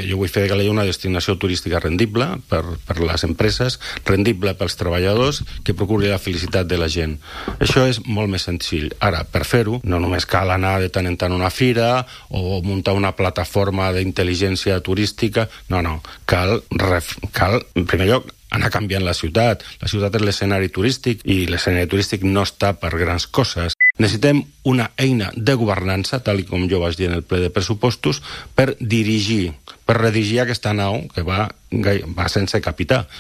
Jo vull fer de Calella una destinació turística rendible per les empreses, rendible pels treballadors, que procuri la felicitat de la gent. Això és molt més senzill. Ara, per fer-ho, no només cal anar de tant en tant a una fira o muntar una plataforma d'intel·ligència turística, no. Cal, en primer lloc, anar canviant la ciutat. La ciutat és l'escenari turístic i l'escenari turístic no està per grans coses. Necessitem una eina de governança, tal com jo vaig dir en el ple de pressupostos, per redirigir aquesta nau que va sense capità.